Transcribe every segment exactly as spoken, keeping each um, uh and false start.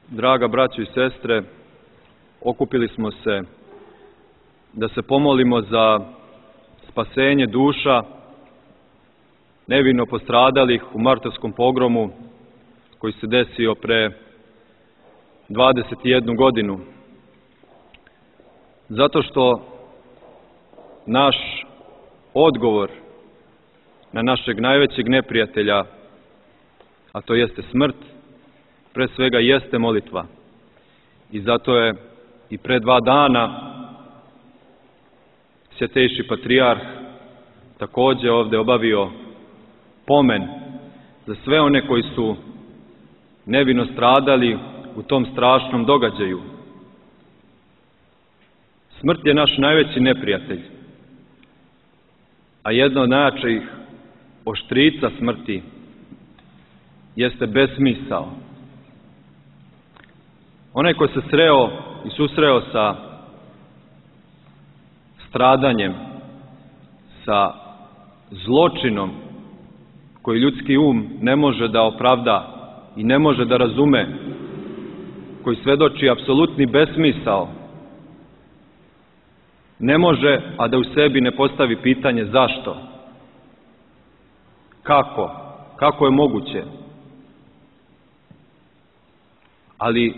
Draga braćo i sestre, okupili smo se da se pomolimo za spasenje duša nevino postradalih u martovskom pogromu koji se desio pre dvadeset jednu godinu. Zato što naš odgovor na našeg najvećeg neprijatelja, a to jeste smrt, pre svega jeste molitva. I zato je i pre dva dana Svetejši patrijarh takođe ovde obavio pomen za sve one koji su nevino stradali u tom strašnom događaju. Smrt je naš najveći neprijatelj, a jedno od najjačih oštrica smrti jeste besmisao. Onaj ko se sreo i susreo sa stradanjem, sa zločinom koji ljudski um ne može da opravda i ne može da razume, koji svedoči apsolutni besmisao, ne može, a da u sebi ne postavi pitanje zašto, kako, kako je moguće. Ali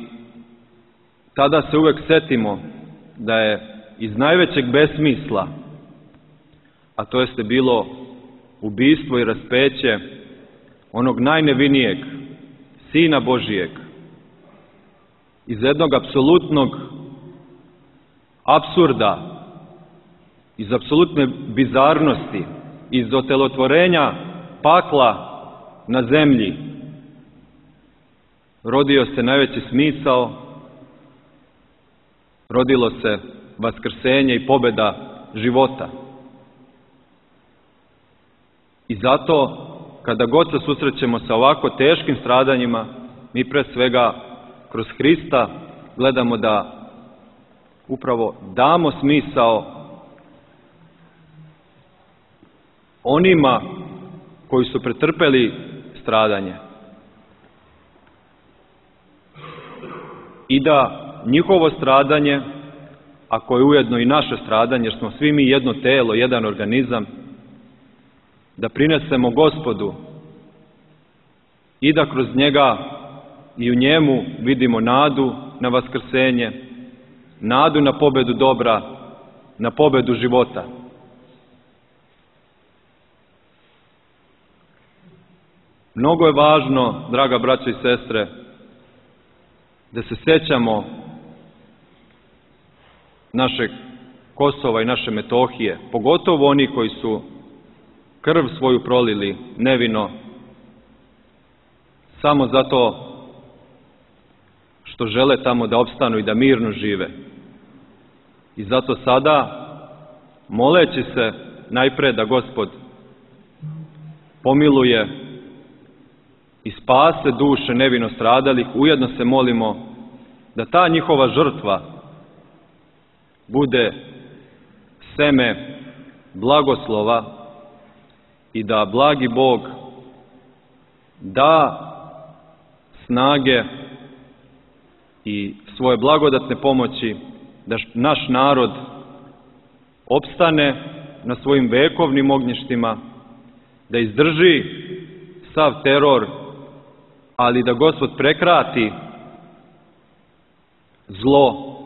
tada se uvek setimo da je iz najvećeg besmisla, a to jeste bilo ubistvo i raspeće onog najnevinijeg, Sina Božijeg, iz jednog apsolutnog apsurda, iz apsolutne bizarnosti, iz otelotvorenja pakla na zemlji, rodio se najveći smisao, rodilo se vaskrsenje i pobeda života. I zato, kada god se susrećemo sa ovako teškim stradanjima, mi pre svega kroz Hrista gledamo da upravo damo smisao onima koji su pretrpeli stradanje i da njihovo stradanje, ako je ujedno i naše stradanje, jer smo svi mi jedno telo, jedan organizam, da prinesemo Gospodu i da kroz njega i u njemu vidimo nadu na vaskrsenje, nadu na pobedu dobra, na pobedu života. Mnogo je važno, draga braćo i sestre, da se sećamo našeg Kosova i naše Metohije, pogotovo oni koji su krv svoju prolili nevino, samo zato što žele tamo da opstanu i da mirno žive. I zato sada, moleći se najpre da Gospod pomiluje i spase duše nevino stradalih, ujedno se molimo da ta njihova žrtva bude seme blagoslova i da blagi Bog da snage i svoje blagodatne pomoći da naš narod opstane na svojim vekovnim ognjištima, da izdrži sav teror, ali da Gospod prekrati zlo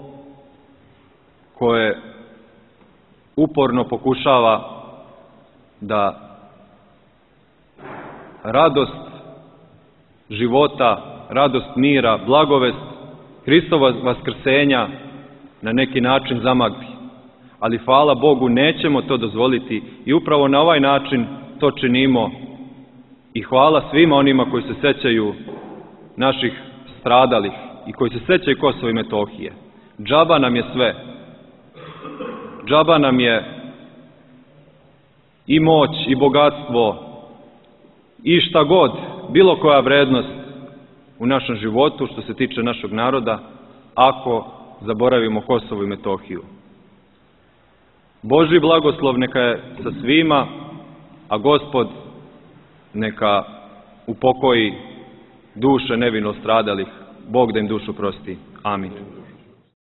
koje uporno pokušava da radost života, radost mira, blagovest Hristova vaskrsenja na neki način zamagli. Ali hvala Bogu, nećemo to dozvoliti i upravo na ovaj način to činimo. I hvala svima onima koji se sećaju naših stradalih i koji se sećaju Kosova i Metohije. Džaba nam je sve. Džaba nam je i moć, i bogatstvo, i šta god, bilo koja vrednost u našem životu što se tiče našeg naroda, ako zaboravimo Kosovo i Metohiju. Božji blagoslov neka je sa svima, a Gospod neka upokoji duše nevino stradalih Bog da im dušu prosti. Amin.